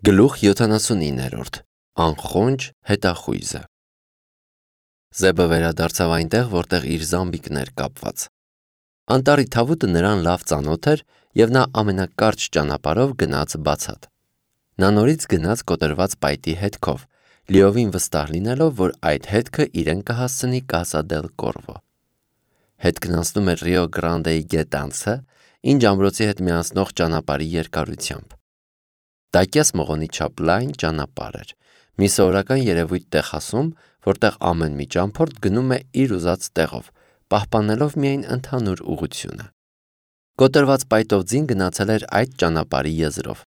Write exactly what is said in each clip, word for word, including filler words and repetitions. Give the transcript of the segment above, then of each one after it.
Գլուխ յոթանասունիններորդ Անխոնջ հետախույզը Զեբը վերադարձավ այնտեղ, որտեղ իր զամբիկն էր կապված։ Անտառի թավուտը նրան լավ ծանոթ էր, և նա ամենակարճ ճանապարհով գնաց բացատ։ Նա նորից գնաց կոտրված պայտի հետքով, լիովին վստահ լինելով, որ այդ հետքը իրեն կհասցնի Կասա դել Կորվո։ Հետքն անցնում էր Ռիո Գրանդեի գետանցը, ինչ ամրոցի հետ միացնող ճանապարհի երկարությամբ։ Տակյաս մղոնի չափ լայն ճանապարհ էր, մի սովորական երևույթ Տեխասում, որտեղ ամեն մի ճամփորդ գնում է իր ուզած տեղով, պահպանելով միայն ընդհանուր ուղղությունը։ Կոտրված պայտով ձին գնացել էր այդ ճանապարհի եզրով,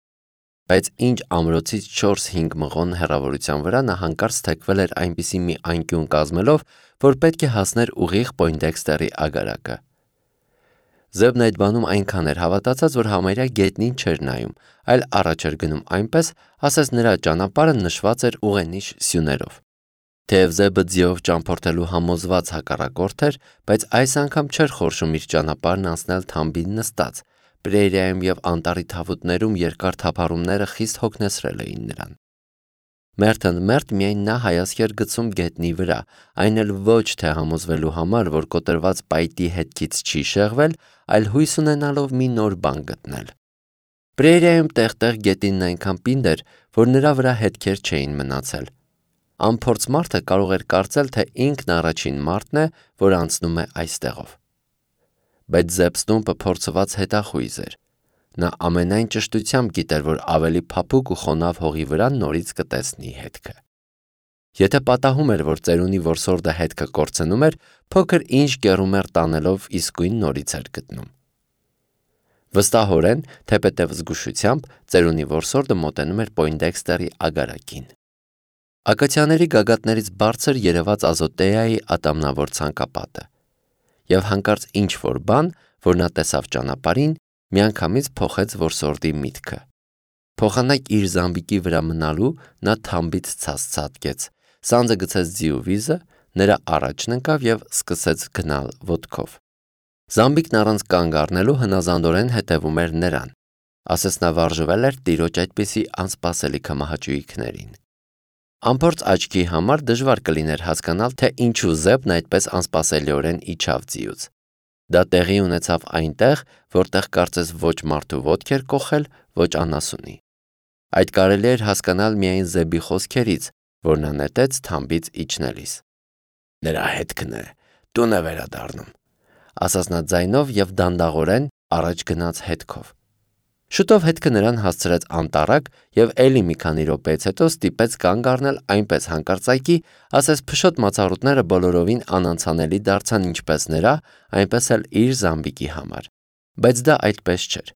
բայց ինչ ամրոցից չորս-հինգ մղոն հեռավորության վրա նա հանկարծ թեքվել էր այնպիսի մի անկյուն կազմելով, որ պետք է հասներ ուղիղ Պոյնդեքստերի ագարակը։ Զեբն այդ բանում այնքան էր հավատացած, որ համարյա գետնին չէր նայում, այլ առաջ էր գնում այնպես, ասես նրա ճանապարհը նշված էր ուղենիշ սյուներով։ Թեև Զեբը ձիով ճամփորդելու համոզված հակառակորդ էր, բայց այս անգամ չէր խորշում իր ճանապարհն անցնել թամբին նստած։ Պրերիայում և անտառի թավուտներում երկար թափառումները խիստ հոգնեցրել էին նրան։ Մերթընդմերթ միայն նա հայացք էր գցում գետնի վրա, այն էլ ոչ թե համոզվելու համար, որ կոտրված պայտի հետքից չի շեղվել, այլ հույս ունենալով մի նոր բան գտնել։ Պրերիայում տեղ-տեղ գետինն այնքան պինդ էր, որ նրա վրա հետքեր չէին մնացել։ Անփորձ մարդը կարող էր կարծել, թե ինքն առաջին մարդն է, որ անցնում է այստեղով։ Բայց Զեբ Ստումպը փորձված հետախույզ էր։ Նա ամենայն ճշտությամբ գիտեր, որ ավելի փափուկ ու խոնավ հողի վրա նորից կտեսնի հետքը։ Եթե պատահում էր, որ ծերունի որսորդը հետքը կորցնում էր, փոքր ինչ կեռումեռ տանելով իսկույն նորից էր գտնում։ Վստահորեն, թեպետև զգուշությամբ, ծերունի որսորդը մոտենում էր Պոյնդեքստերի ագարակին։ Ակացիաների գագաթներից բարձր երևաց Ազոտեայի ատամնավոր ցանկապատը, և հանկարծ ինչ-որ բան, որ նա տեսավ ճանապարհին, միանգամից փոխեց որսորդի միտքը։ Փոխանակ իր զամբիկի վրա մնալու նա թամբից ցած ցատկեց, սանձը գցեց ձիու վիզը, նրա առաջն ընկավ և սկսեց գնալ ոտքով։ Զամբիկն առանց կանգ առնելու հնազանդորեն հետևում էր նրան, ասես նա վարժվել էր տիրոջ այդպիսի անսպասելի քմահաճույքներին։ Անփորձ աչքի համար դժվար կլիներ հասկանալ, թե ինչու Զեբն այդպես անսպասելիորեն իջավ ձիուց։ Դա տեղի ունեցավ այնտեղ, որտեղ կարծես ոչ մարդու ոտք էր կոխել, ոչ անասունի։ Այդ կարելի էր հասկանալ միայն Զեբի խոսքերից, որ նա նետեց թամբից իջնելիս։ Նրա հետքն է, տուն է վերադառնում, ասաց նա ձայնով և դանդաղորեն առաջ գնաց հետքով։ Շուտով հետքը նրան հասցրեց անտառակ և էլի մի քանի րոպեից հետո ստիպեց կանգ առնել այնպես հանկարծակի, ասես փշոտ մացառուտները բոլորովին անանցանելի դարձան ինչպես նրա, այնպես էլ իր զամբիկի համար։ Բայց դա այդպես չէր։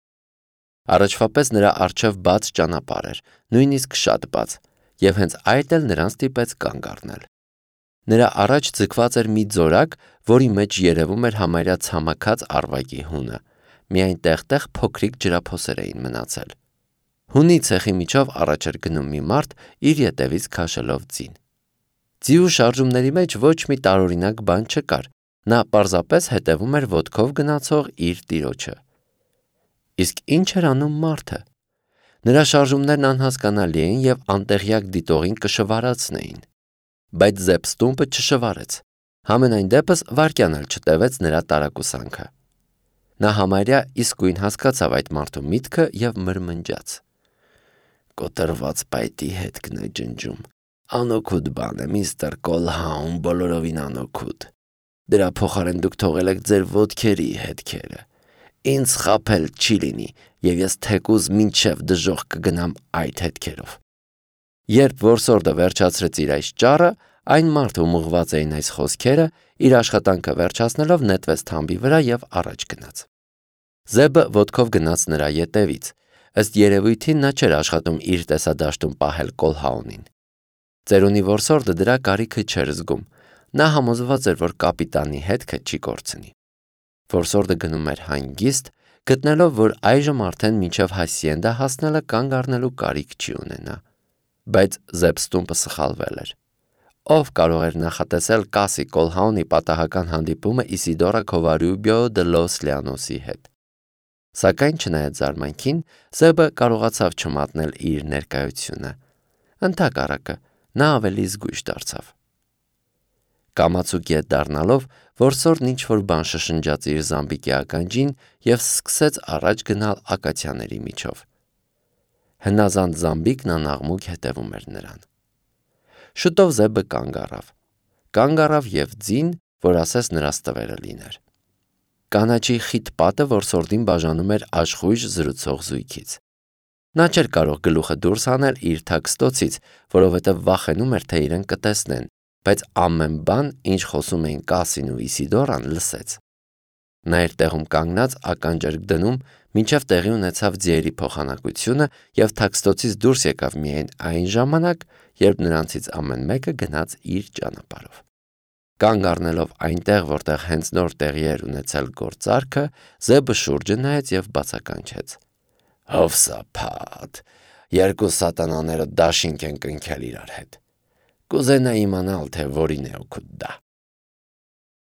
Առաջվա պես նրա առջև բաց ճանապարհ էր, նույնիսկ շատ բաց, և հենց այդ էլ նրան ստիպեց կանգ առնել։ Նրա առաջ ձգված էր մի ձորակ, որի մեջ երևում էր համարյա ցամաքած առվակի հունը, միայն տեղ-տեղ փոքրիկ ջրափոսեր էին մնացել։ Հունի ցեխի միջով առաջ էր գնում մի մարդ, իր ետևից քաշելով ձին։ Ձիու շարժումների մեջ ոչ մի տարօրինակ բան չկար, նա պարզապես հետևում էր ոտքով գնացող իր տիրոջը։ Իսկ ինչ էր անում մարդը։ Նրա շարժումներն անհասկանալի էին և անտեղյակ դիտողին կշվարացնեին։ Բայց Զեբ Ստումպը չշվարեց։ Համենայն դեպս վայրկյան էլ չտևեց նրա տարակուսանքը։ Նա համարյա իսկույն հասկացավ այդ մարդու միտքը և մրմնջաց. «Կոտրված պայտի հետքն է ջնջում։ Անօգուտ բան է, միստր Կոլհաուն, բոլորովին անօգուտ։ Դրա փոխարեն դուք թողել եք ձեր ոտքերի հետքերը։ Ինձ խաբել չի լինի, և ես թեկուզ մինչև դժոխք կգնամ այդ հետքերով»։ Երբ որսորդը վերջացրեց իր այս ճառը, այն մարդը, ում ուղղված էին այս խոսքերը, իր աշխատանքը վերջացնելով նետվեց թամբի վրա և առաջ գնաց։ Զեբը ոտքով գնաց նրա ետևից։ Ըստ երևույթին նա չէր աշխատում իր տեսադաշտում պահել Կոլհաունին։ Ծերունի որսորդը դրա կարիքը չէր զգում։ Նա համոզված էր, որ կապիտանի հետքը չի կորցնի։ Որսորդը գնում էր հանգիստ, գտնելով, որ այժմ արդեն մինչև Հասիենդա հասնելը կանգ առնելու կարիք չի ունենա։ Բայց Զեբ Ստումպը սխալվել էր։ Ով կարող էր նախատեսել Կասի Կոլհաունի պատահական հանդիպումը Իսիդորա Քովարյուբիո դե լոս Լիանոսի հետ։ Սակայն չնայած զարմանքին, Զեբը կարողացավ չմատնել իր ներկայությունը։ Ընդհակառակը, նա ավելի զգույշ դարձավ։ Կամացուկ ետ դառնալով, որսորդն ինչ-որ բան շշնջաց իր զամբիկի ականջին և սկսեց առաջ գնալ ակացիաների միջով։ Հնազանդ զամբիկն անաղմուկ հետևում էր նրան։ Շուտով Զեբը կանգ առավ։ Կանգ առավ և ձին, որ ասես նրա ստվերը լիներ։ Կանաչի խիտ պատը որսորդին բաժանում էր աշխույժ զրուցող զույգից։ Նա չէր կարող գլուխը դուրս հանել իր թաքստոցից, որովհետև վախենում էր, թե իրեն կտեսնեն, բայց ամեն բան, ինչ խոսում էին Կասին ու Իսիդորան, լսեց։ Նա իր տեղում կանգնած ականջ էր դնում, մինչև տեղի ունեցավ ձիերի փոխանակությունը և թաքստոցից դուրս եկավ միայն այն ժամանակ, երբ նրանցից ամեն մեկը գնաց իր ճանապարհով։ Կանգ առնելով այնտեղ, որտեղ հենց նոր տեղի էր ունեցել գործարքը, Զեբը շուրջը նայեց և բացականչեց. «Հովսափատ, երկու սատանաները դաշինք են կնքել իրար հետ։ Կուզենայի իմանալ, թե որին է օգուտ դա»։